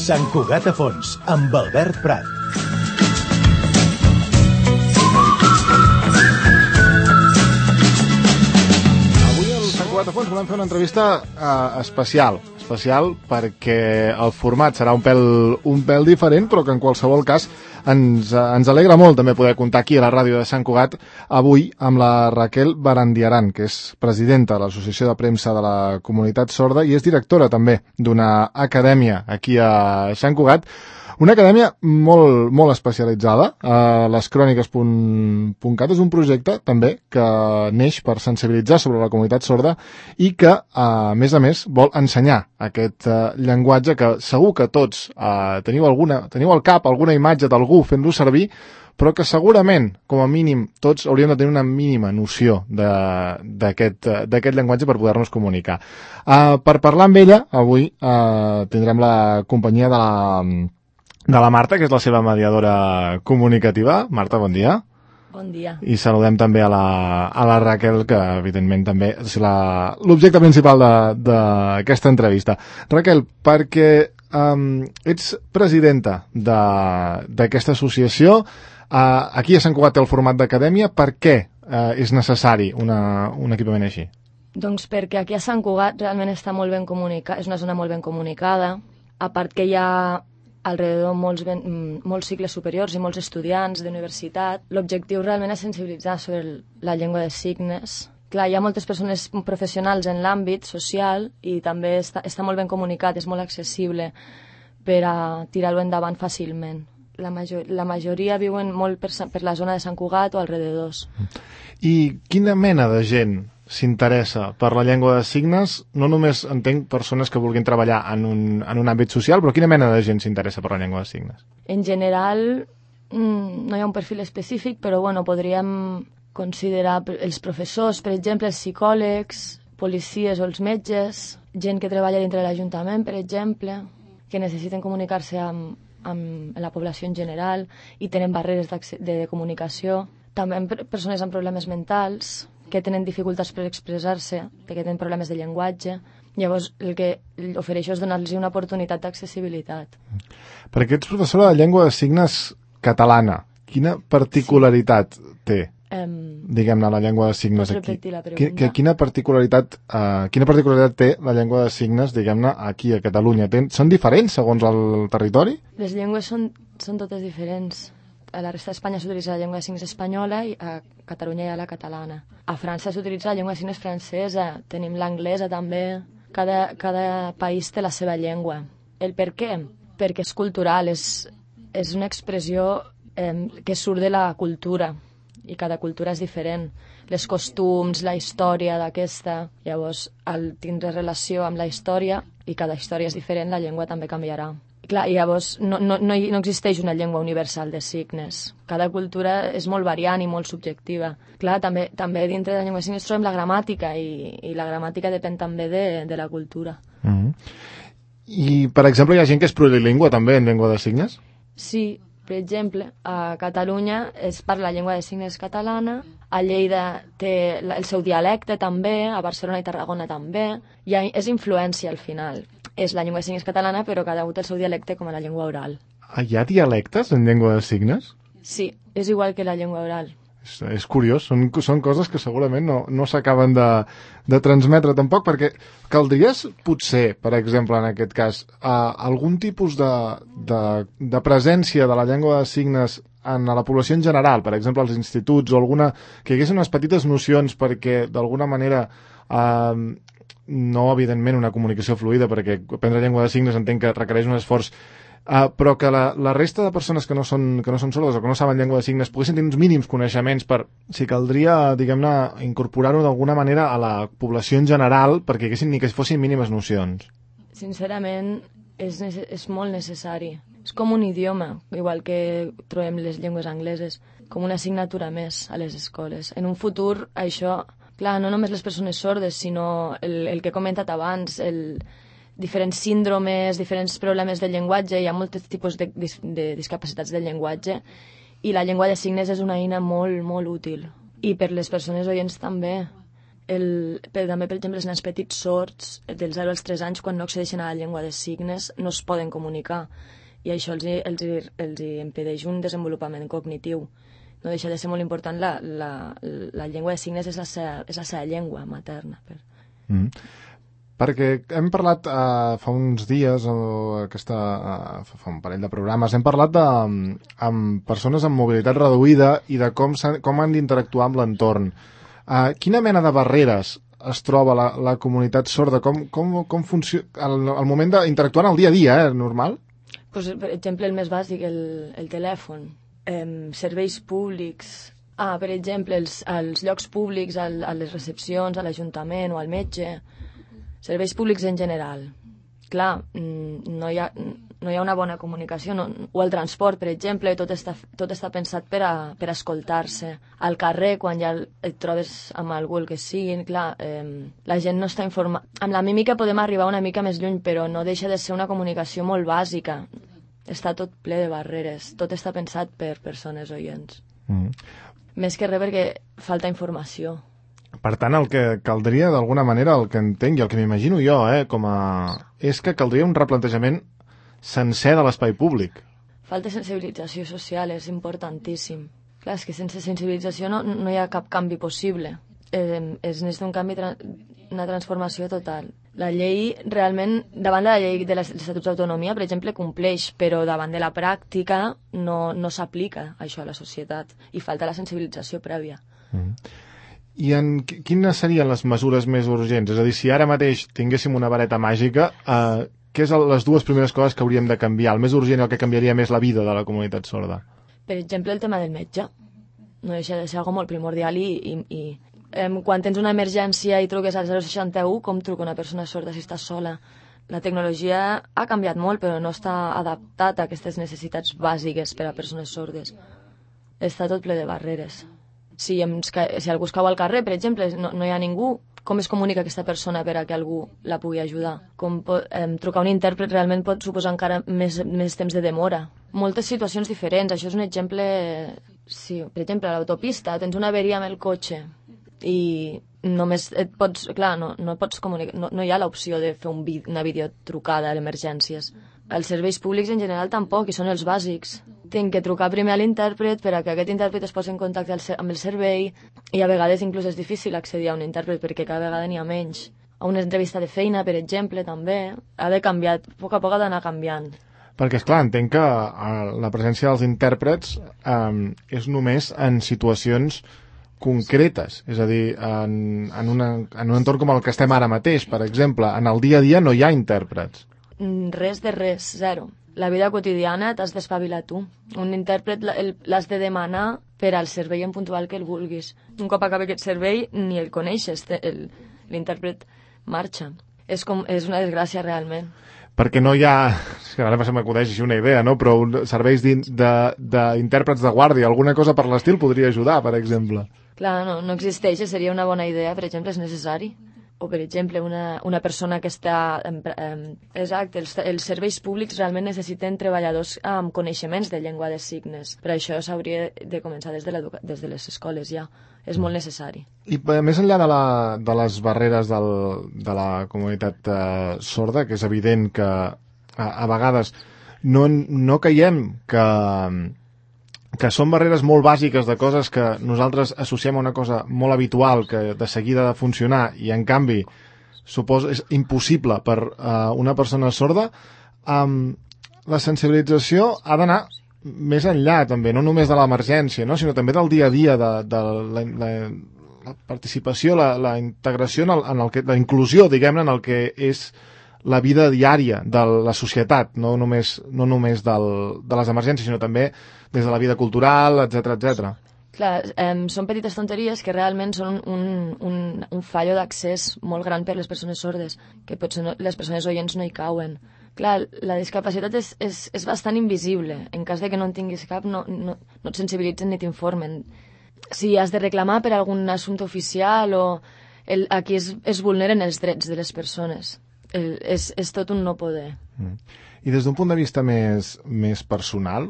Sant Cugat a Fons, amb Albert Prat. Avui al Sant Cugat a Fons volem fer una entrevista especial perquè el format serà un pèl diferent, però que en qualsevol cas ens alegra molt també poder comptar aquí a la ràdio de Sant Cugat avui amb la Raquel Barandiaran, que és presidenta de l'Associació de Premsa de la Comunitat Sorda i és directora també d'una acadèmia aquí a Sant Cugat. Una acadèmia molt, molt especialitzada. Lescròniques.cat és un projecte també que neix per sensibilitzar sobre la comunitat sorda i que, a més, vol ensenyar aquest llenguatge que segur que tots teniu al cap alguna imatge d'algú fent-lo servir, però que segurament, com a mínim, tots hauríem de tenir una mínima noció d'aquest llenguatge per poder-nos comunicar. Per parlar amb ella, avui tindrem la companyia de la Marta, que és la seva mediadora comunicativa. Marta, bon dia. Bon dia. I saludem també a la Raquel, que evidentment també és l'objecte principal d'aquesta entrevista. Raquel, perquè ets presidenta d'aquesta associació, aquí a Sant Cugat té el format d'acadèmia, per què és necessari un equipament així? Doncs perquè aquí a Sant Cugat realment està molt ben comunicat, és una zona molt ben comunicada, a part que hi ha alrededor molts cicles superiors i molts estudiants d'universitat. L'objectiu realment és sensibilitzar sobre la llengua de signes. Clar, hi ha moltes persones professionals en l'àmbit social i també està molt ben comunicat, és molt accessible per a tirar-ho endavant fàcilment. La majoria viuen molt per la zona de Sant Cugat o alrededors. I quina mena de gent s'interessa per la llengua de signes? No només entenc persones que vulguin treballar en un àmbit social, però quina mena de gent s'interessa per la llengua de signes? En general, no hi ha un perfil específic, però podríem considerar els professors, per exemple, els psicòlegs, policies o els metges, gent que treballa dintre de l'Ajuntament, per exemple, que necessiten comunicar-se amb la població en general i tenen barreres de comunicació. També persones amb problemes mentals, que tenen dificultats per expressar-se, que tenen problemes de llenguatge. Llavors, el que ofereixo és donar-los una oportunitat d'accessibilitat. Perquè ets professora de llengua de signes catalana. Quina particularitat té, diguem-ne, la llengua de signes aquí? Pots repetir la pregunta? Quina particularitat té la llengua de signes, diguem-ne, aquí a Catalunya? Són diferents segons el territori? Les llengües són totes diferents. A la resta d'Espanya s'utilitza la llengua de signes espanyola i a Catalunya hi ha la catalana. A França s'utilitza la llengua de signes francesa, tenim l'anglesa també. Cada país té la seva llengua. El per què? Perquè és cultural, és una expressió que surt de la cultura i cada cultura és diferent. Les costums, la història d'aquesta. Llavors, al tindre relació amb la història, i cada història és diferent, la llengua també canviarà. Clar, llavors no existeix una llengua universal de signes. Cada cultura és molt variant i molt subjectiva. Clar, també dintre de la llengua de signes trobem la gramàtica i la gramàtica depèn també de la cultura. I, per exemple, hi ha gent que és plurilingüe també en llengua de signes? Sí, per exemple, a Catalunya es parla la llengua de signes catalana, a Lleida té el seu dialecte també, a Barcelona i Tarragona també. És influència al final. És la llengua de signes catalana, però cada un té el seu dialecte com a la llengua oral. Hi ha dialectes en llengua de signes? Sí, és igual que la llengua oral. És curiós, són coses que segurament no s'acaben de transmetre tampoc, perquè caldries, potser, per exemple, en aquest cas, algun tipus de presència de la llengua de signes en la població en general, per exemple, als instituts o que hi haguessin unes petites nocions perquè, d'alguna manera, no, evidentment, una comunicació fluida, perquè aprendre llengua de signes entenc que requereix un esforç, però que la resta de persones que no són sordes o que no saben llengua de signes poguessin tenir uns mínims coneixements per, si caldria, diguem-ne, incorporar-ho d'alguna manera a la població en general perquè ni que fossin mínimes nocions. Sincerament, és molt necessari. És com un idioma, igual que trobem les llengües angleses, com una assignatura més a les escoles. En un futur, això... Clar, no només les persones sordes, sinó el que he comentat abans, diferents síndromes, diferents problemes del llenguatge, hi ha molts tipus de discapacitats del llenguatge, i la llengua de signes és una eina molt, molt útil. I per les persones oients també, Però també, per exemple, els nens petits sords, dels 0 als 3 anys, quan no accedeixen a la llengua de signes, no es poden comunicar. I això els impedeix un desenvolupament cognitiu. No deixa de ser molt important, la llengua de signes és la seva llengua materna. Perquè hem parlat fa uns dies, fa un parell de programes, hem parlat amb persones amb mobilitat reduïda i de com han d'interactuar amb l'entorn. Quina mena de barreres es troba la comunitat sorda? Com funciona al moment d'interactuar en el dia a dia, normal? Pues, per exemple, el més bàsic, el telèfon, serveis públics, per exemple, als llocs públics, a les recepcions, a l'Ajuntament o al metge, serveis públics en general. Clar, no hi ha una bona comunicació, o el transport, per exemple, tot està pensat per a escoltar-se. Al carrer, quan ja et trobes amb algú, el que siguin, clar, la gent no està informada. Amb la mímica podem arribar una mica més lluny, però no deixa de ser una comunicació molt bàsica. Està tot ple de barreres, tot està pensat per persones oients. Més que res perquè falta informació. Per tant, el que caldria, d'alguna manera, el que entenc i el que m'imagino jo, és que caldria un replantejament sencer de l'espai públic. Falta sensibilització social, és importantíssim. Clar, és que sense sensibilització no hi ha cap canvi possible. Es necessita un canvi, una transformació total. La llei, realment, davant de la llei de l'Estatut d'Autonomia, per exemple, compleix, però davant de la pràctica no s'aplica això a la societat i falta la sensibilització prèvia. I quines serien les mesures més urgents? És a dir, si ara mateix tinguéssim una vareta màgica, què són les dues primeres coses que hauríem de canviar? El més urgent i el que canviaria més la vida de la comunitat sorda? Per exemple, el tema del metge. No deixa de ser algo molt primordial i quan tens una emergència i truques al 061, com truca una persona sorda si estàs sola? La tecnologia ha canviat molt, però no està adaptat a aquestes necessitats bàsiques per a persones sordes. Està tot ple de barreres. Si algú es cau al carrer, per exemple, no hi ha ningú, com es comunica aquesta persona per a que algú la pugui ajudar? Trucar un intèrpret realment pot suposar encara més temps de demora. Moltes situacions diferents, això és un exemple. Sí, per exemple, a l'autopista tens una averia amb el cotxe i només et pots, clar, no pots comunicar, no hi ha l'opció de fer una videotrucada a emergències. Els serveis públics en general tampoc, i són els bàsics. Tinc que trucar primer a l'intèrpret per a que aquest intèrpret es posi en contacte amb el servei, i a vegades inclús és difícil accedir a un intèrpret perquè cada vegada n'hi ha menys. A una entrevista de feina, per exemple, també ha de canviar, a poc ha d'anar canviant. Perquè, esclar, entenc que la presència dels intèrprets és només en situacions concretes, és a dir, en un entorn com el que estem ara mateix, per exemple, en el dia a dia no hi ha intèrprets. Res de res, zero. La vida quotidiana t'has d'espavilar tu. Un intèrpret l'has de demanar per al servei en puntual que el vulguis. Un cop acabi aquest servei ni el coneixes, l'intèrpret marxa. És una desgràcia realment. Perquè no hi ha, ara se m'acudeix així una idea, no? Però serveis d'intèrprets de guàrdia, alguna cosa per l'estil podria ajudar, per exemple. Clar, no existeix, seria una bona idea, per exemple, és necessari. O, per exemple, una persona que està... Exacte, els serveis públics realment necessiten treballadors amb coneixements de llengua de signes. Per això s'hauria de començar des de les escoles ja. És molt necessari. I més enllà de les barreres de la comunitat sorda, que és evident que a vegades no caiem que són barreres molt bàsiques de coses que nosaltres associem a una cosa molt habitual que de seguida ha de funcionar i en canvi és impossible per una persona sorda, la sensibilització ha d'anar més enllà també, no només de l'emergència, no? Sinó també del dia a dia, de la participació, la integració, la inclusió, diguem-ne, en el que és la vida diària de la societat, no només de les emergències, sinó també des de la vida cultural, etc. Clar, són petites tonteries que realment són un fallo d'accés molt gran per les persones sordes, que potser les persones oients no hi cauen. Clar, la discapacitat és bastant invisible. En cas de que no en tinguis cap, no et sensibilitzen ni t'informen. Si has de reclamar per algun assumpte oficial aquí es vulneren els drets de les persones. És tot un no poder. I des d'un punt de vista més personal,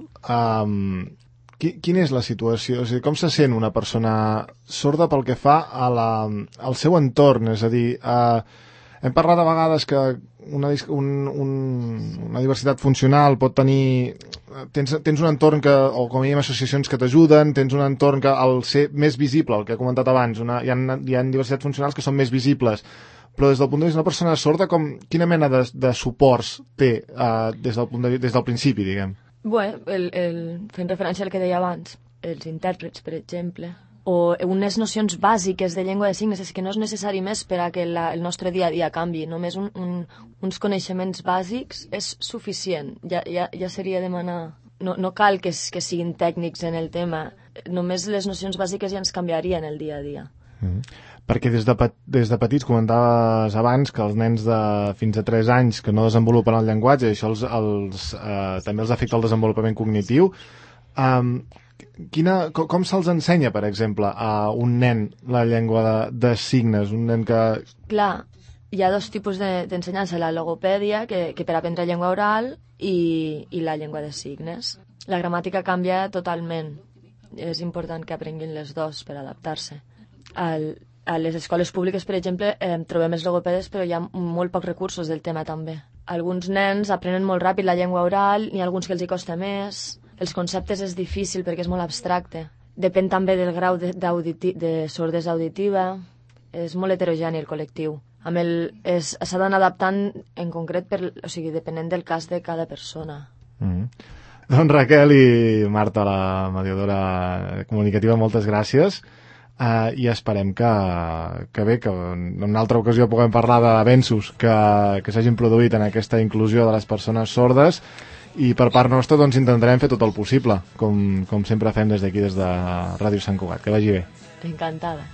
Quina és la situació? O sigui, com se sent una persona sorda pel que fa al seu entorn? És a dir, hem parlat a vegades que una diversitat funcional pot tenir... Tens un entorn o com a mínim associacions que t'ajuden, tens un entorn que al ser més visible, el que he comentat abans, hi ha diversitats funcionals que són més visibles, però des del punt de vista d'una persona sorda, quina mena de suports té des del principi, diguem? Bé, fent referència al que deia abans, els intèrprets, per exemple, o unes nocions bàsiques de llengua de signes, és que no és necessari més per a que el nostre dia a dia canvi, només uns coneixements bàsics és suficient, ja seria demanar... No cal que siguin tècnics en el tema, només les nocions bàsiques ja ens canviarien el dia a dia. Perquè des de petits comentaves abans que els nens de fins a 3 anys que no desenvolupen el llenguatge, això també els afecta el desenvolupament cognitiu. Com se'ls ensenya, per exemple, a un nen la llengua de signes? Un nen que... Clar, hi ha dos tipus d'ensenyança, la logopèdia, que per aprendre llengua oral, i la llengua de signes. La gramàtica canvia totalment. És important que aprenguin les dos per adaptar-se. A les escoles públiques, per exemple, trobem els logopedes, però hi ha molt pocs recursos del tema també. Alguns nens aprenen molt ràpid la llengua oral, n'hi ha alguns que els hi costa més. Els conceptes és difícil perquè és molt abstracte. Depèn també del grau de sordesa auditiva. És molt heterogeni el col·lectiu. S'ha d'anar adaptant en concret, depenent del cas de cada persona. Doncs Raquel i Marta, la mediadora comunicativa, moltes gràcies. I esperem que en una altra ocasió puguem parlar d'avenços que s'hagin produït en aquesta inclusió de les persones sordes, i per part nostra doncs intentarem fer tot el possible, com sempre fem des d'aquí, des de Ràdio Sant Cugat. Que vagi bé. Encantada.